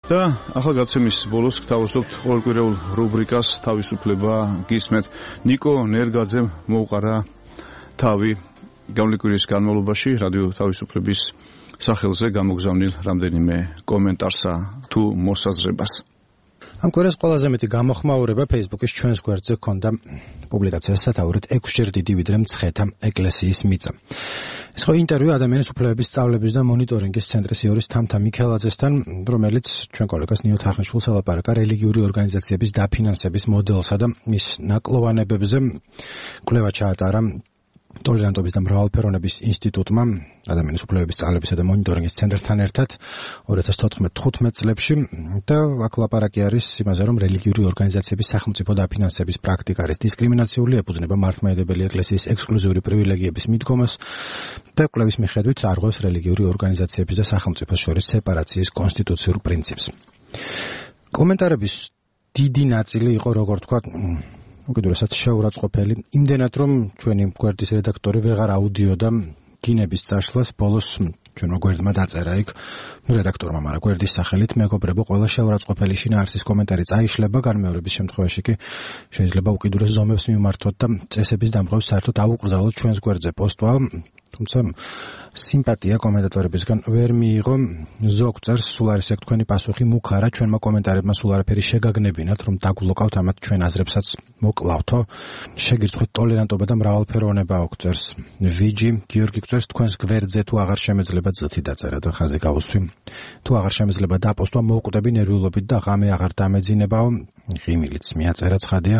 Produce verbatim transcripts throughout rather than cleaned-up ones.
და ახლა გაცემის ბოლოს გთავაზობთ ყოველკვირეულ რუბრიკას თავისუფლება გისმენთ. ნიკო ნერგაძემ მოუყარა თავი გამლეკვირის განმავლობაში რადიო თავისუფლების სახელზე გამოგზავნილ რამდენიმე კომენტარსა თუ მოსაზრებას. ამ კვირას ყველაზე მეტი გამოხმაურება Facebook-ის ჩვენს გვერდზე ჰქონდა პუბლიკაციას სათაურით ექვსჯერ დიდი ვიდრე მცხეთა ეკლესიის მიწა. ეს ხო ინტერვიუ ადამიანის უფლებების სწავლების და მონიტორინგის ცენტრის იურის თამთა მიქელაძესთან, რომელიც ჩვენ კოლეგას ნინო თარხნიშვილს ელაპარაკა რელიგიური ორგანიზაციების დაფინანსების მოდელსა და მის ნაკლოვანებებზე. კვლევა ჩაატარა ტოლერანტობის და მრავალფეროვნების ინსტიტუტმა ადამიანის უფლებების სწავლებისა და მონიტორინგის ცენტრთან ერთად ორი ათას თოთხმეტ თხუთმეტ წლებში და აქ ლაპარაკი არის იმაზე, რომ რელიგიური ორგანიზაციების სახელმწიფო დაფინანსების პრაქტიკა არის დისკრიმინაციული, ეფუძნება მართლმადიდებელი ეკლესიის ექსკლუზიური პრივილეგიების მიდგომას და კვლევის მიხედვით არღვევს რელიგიური ორგანიზაციების და სახელმწიფოს შორის სეპარაციის კონსტიტუციურ პრინციპს. კომენტარების დიდი ნაწილი იყო, როგორ თქვა, უკიდურესად შეურაცხყოფელი, იმდენად რომ ჩვენი გვერდის რედაქტორი ვეღარ აუდიოდა გინების წაშლას, ბოლოს ჩვენმა გვერდმა დაწერა იქ რედაქტორმა, მაგრამ გვერდის სახელით მეგობრებო, ყველა შეურაცხყოფელი შინაარსის კომენტარი წაიშლება, განმეორების შემთხვევაში კი შეიძლება უკიდურეს ზომებს მიმართოთ და წესების დამღებს საერთოდ აუკრძალოთ ჩვენს გვერდზე პოსტვა. თუმცა სიმპათია კომენტატორებისგან ვერ მიიღო. ზოგ წერს, სულ არის ეგ თქვენი პასუხი მუქარა, ჩვენმა კომენტარებმა სულ არაფერი შეგაგნებინათ, რომ დაგვლოკავთ ამათ ჩვენ აზრებსაც მოკლავთო. შეგირცხვით ტოლერანტობა და მრავალფეროვნება აქვს, წერს ვიჯი. გიორგი წერს, თქვენს გვერდზე თუ აღარ შემეძლება წითი დაწერა და ხაზი გავუსვი. თუ აღარ შემეძლება დაპოსტვა, მოვკვდები ნერვიულობით და ღამე აღარ დამეძინებაო. ღიმილიც მიაწერა ცხადია.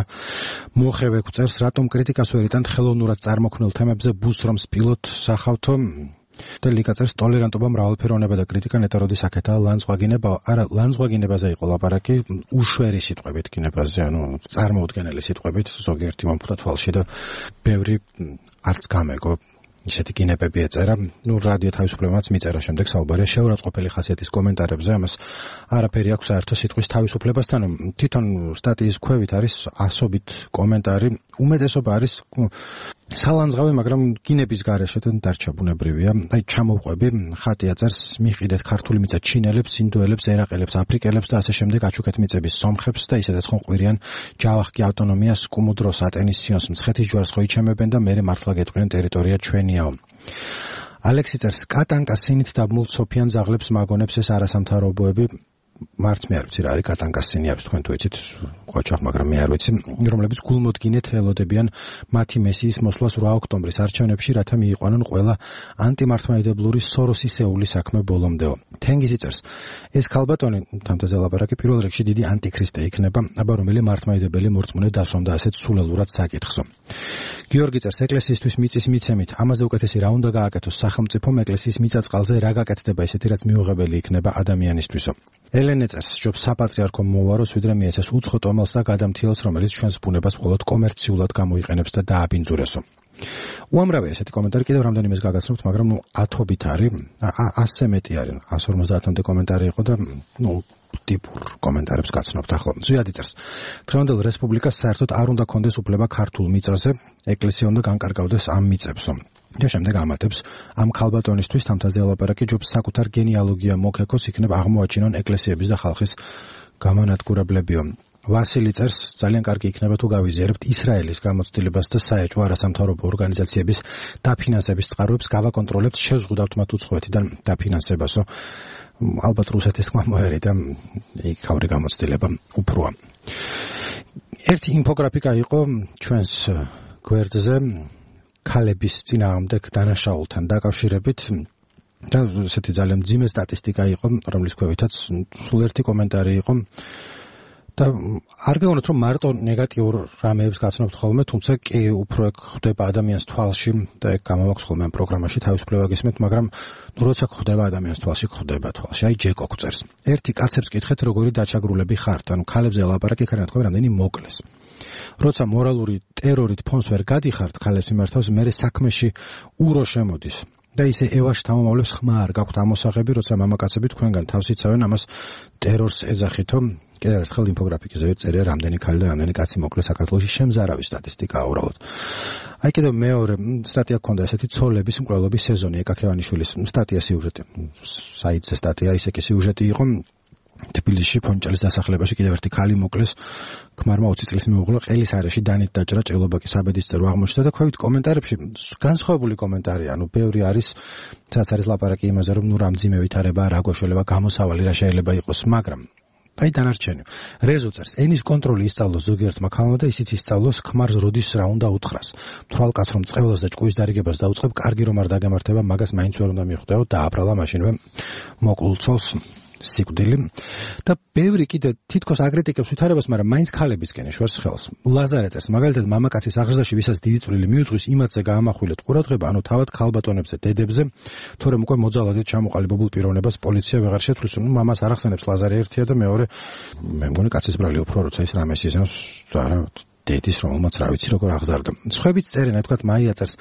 მოხევე წერს, რატომ კრიტიკას ვერ იტანთ ხელოვნურად წარმოქმნილ თემებზე ბუსრომს პილოტ სახავთო. და ლიკა წერს, ტოლერანტობა, მრავალფეროვნება და კრიტიკა ნეტაროდის აქეთაა ლანძღვაგინება. არა, ლანძღვაგინებაზე იყო ლაპარაკი, უშვერი სიტყვებით გინებაზე, ანუ წარმოუდგენელი სიტყვებით, ზოგიერთი მომფუთა თვალში და ბევრი არც გამეგო ისეთი გინებები ეწერა. ნუ რადიო თავისუფლებამაც მიწერა შემდეგ საუბარია შეურაცხყოფელი ხასიათის კომენტარებზე, ამას არაფერი აქვს საერთო სიტყვის თავისუფლებასთან. თვითონ სტატიის ქვევით არის ასობით კომენტარი, უმეტესობა არის სალანძღავი, მაგრამ გინების გარეშე დარჩა ბუნებრივია. აი ჩამოვყვები, ხატია წერს, მიყიდეთ ქართული მიწა ჩინელებს, ინდოელებს, ერაყელებს, აფრიკელებს და ასე შემდეგ აჩუქეთ მიწების სომხებს და ისედაც ხომ ყვირიან ჯავახკი ავტონომიას, კუმუდროს, ატენის სიონს, მცხეთის ჯვარს ხო იჩემებენ და მერე მართლა გეტყვიან ტერიტორია ჩვენიაო. ალექსი წერს, კატანკა სინით დაბმულ სოფიან ზაღლებს მაგონებს ეს არასამთავრობოები. მარც მე არ ვიცი რა არის კატანკას სინი, არის თქვენ თუ იცით, ყოჩახ, მაგრამ მე არ ვიცი, რომლებიც გულმოდგინედ ელოდებიან მათი მესიის მოსვლას ორი ოქტომბრის არჩევნებში, რათა მიიყვანონ ყველა ანტიმართლმადიდებლური სოროსისეული საქმე ბოლომდეო. თენგიზი წერს, ეს ქალბატონი, თამთაზე ლაპარაკი, პირველ რიგში დიდი ანტიქრისტე იქნება, აბა რომელი მართლმადიდებელი მორწმუნე დასვამდა ასეთ სულელურად საკითხსო. გიორგი წერს, ეკლესიისთვის მიწის მიცემით, ამაზე უკეთესი რა უნდა გააკეთოს სახელმწიფომ, ეკლესიის მიწა-წყალზე რა გაკეთდება ისეთი, რაც მიუღებელი იქნება ადამიანისთვისო. ელენე წერს, სჯობს საპატრიარქო მოვაროს, ვიდრე მიეცეს უცხო ტომელს და გადამთილს, რომელიც ჩვენს ბუნებას მხოლოდ კომერციულად გამოიყენებს და დააბინძურესო. უამრავია ესეთი კომენტარი, კიდევ რამდენიმეს გაგაცნობთ, მაგრამ ნუ ათობით არის, ასზე მეტი არის, ას ორმოცდაათამდე კომენტარი იყო და ნუ ტიპურ კომენტარებს გაცნობთ ახლა. ზვიადი წერს, დღევანდელ რესპუბლიკას საერთოდ არ უნდა კონდეს უფლება ქართულ მიწაზე, ეკლესია უნდა განკარგავდეს ამ მიწებსო. და შემდეგ ამატებს, ამ ქალბატონისთვის თამთაზე ელაპარაკი, ჯობს საკუთარ გენეალოგია მოქეკოს, იქნებ აღმოაჩინონ ეკლესიების და ხალხის გამანადგურებლებიო. ვასილი წერს, ძალიან კარგი იქნება თუ გავიზიარებთ ისრაელის გამოცდილებას და საეჭვო არასამთავრობო ორგანიზაციების დაფინანსების წყაროებს გავაკონტროლებთ, შევზღუდავთ მათ უცხოეთიდან დაფინანსებასო. ალბათ რუსეთის ხმა მოერი და იქავრი გამოცდილება უფროა. ერთი ინფოგრაფიკა იყო ჩვენს გვერდზე ქალების წინააღმდეგ დანაშაულთან დაკავშირებით და ესეთი ძალიან მძიმე სტატისტიკა იყო, რომლის ქვევითაც სულ ერთი კომენტარი იყო და არ გეუბნოთ, რომ მარტო ნეგატიურ რამეებს გაცნობთ ხოლმე, თუმცა კი უფრო ეგ ხდება ადამიანის თვალში და ეგ გამოვაქვს ხოლმე ამ პროგრამაში თავისუფლება გესმენთ, მაგრამ ნუ როცა ხდება ადამიანის თვალში, ხდება თვალში. აი ჯეკო წერს, ერთი კაცებს კითხეთ, როგორი დაჩაგრულები ხართ, ანუ ქალებზე ელაპარაკი, ხარ თქვენ რამდენი მოკლეს. როცა მორალური ტერორით ფონს ვერ გადიხართ ქალებს მიმართავს, მერე საქმეში ურო შემოდის. და ისე ევაში თამამავლებს ხმა არ გაქვთ ამოსაღები, როცა მამაკაცები თქვენგან თავს იცავენ, ამას ტერორს ეძახითო. კიდევ ერთხელ ინფოგრაფიკაზე წერია რამდენი ქალი და რამდენი კაცი მოკლეს საქართველოში, შემზარავი სტატისტიკაა უბრალოდ. აი კიდევ მეორე სტატია გქონდა ესეთი ცოლების მკვლელობის სეზონი, ეკაკევანიშვილის სტატია სიუჟეტი. საიტზე სტატია, ისე კი სიუჟეტი იყო. თბილისში ფონჭალის დასახლებაში კიდევ ერთი ქალი მოკლეს. ქმარმა ოცი წლის მეუღლე ყელის არეში დანით დაჭრა, ჭრილობა კი საბედისწერო აღმოჩნდა და ქვევით კომენტარებში განსხვავებული კომენტარია, ანუ ბევრი არის, სადაც არის ლაპარაკი იმაზე, რომ ნუ რა მძიმე ვითარება, რა გვაშველება, გამოსავალი რა შეიძლება იყოს, მაგრამ აი დანარჩენი. რეზო წერს, ენის კონტროლი ისწავლოს ზოგიერთმა ქალმა და ისიც ისწავლოს ქმარს როდის რა უნდა უთხრას. თვალკაც რომ წყევლას და ჭკუის დარიგებას დაუწყებ, კარგი რომ არ დაგემართება, მაგას მაინც ვერ უნდა მიხვდეო, დააბრალა მაშინვე მოკლულ ცოლს სიკვდილი და ბევრი კიდე თითქოს აგრეტიკებს ვითარებას, მაგრამ მაინც ქალებისკენ ეშვერს ხელს. ლაზარე წერს, მაგალითად მამაკაცის აღზრდაში ვისაც დიდი წვლილი მიუძღვის, იმათზე გაამახვილეთ ყურადღება, ანუ თავად ქალბატონებზე, დედებზე, თორემ უკვე მოძალადეთ ჩამოყალიბებულ პიროვნებას პოლიცია ვეღარ შეცვლის. მამას არ ახსენებს ლაზარე ერთია და მეორე, მე მგონი კაცის ბრალი უფრო როცა ის რამეს ისენს არა დედის რომელმაც რა ვიცი როგორ აღზარდა. სხვაებიც წერენ, თქვათ მაია წერს,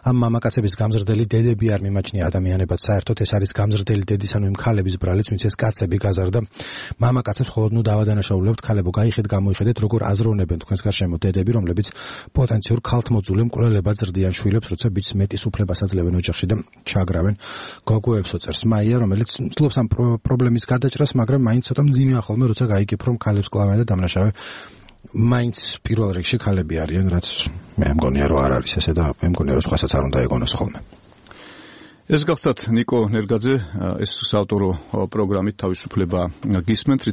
ამ მამაკაცების გამზრდელი დედები არ მიმაჩნია ადამიანებად, საერთოდ ეს არის გამზრდელი დედის, ანუ იმ ქალების ბრალიც, ვინც ეს კაცები გაზარდა. მამაკაცებს ხოლოდ ნუ დავადანაშაულებთ, ქალებო, გაიხეთ, გამოიხედეთ, როგორ აზროვნებენ თქვენს გარშემო დედები, რომლებიც პოტენციურ ქალთმოძული მკვლელებად ზრდიან შვილებს, როცა ბიჭს მეტის უფლებას აძლევენ ოჯახში და ჩაგრავენ. გოგოებსო წერს მაია, რომელიც ცდილობს ამ პრობლემის გადაჭრას, მაგრამ მაინც ცოტა მძიმეა ხოლმე, როცა გაიგებ, რომ ქალებს კლავენ და დამნაშავე მაინც პირველ რიგში ქალები არიან, რაც მე მგონია რომ არ არის ესე და მე მგონია რომ სხვასაც არ უნდა ეგონოს ხოლმე. ეს გახლდათ ნიკო ნერგაძე, ეს საავტორო პროგრამით თავისუფლება გისმენთ.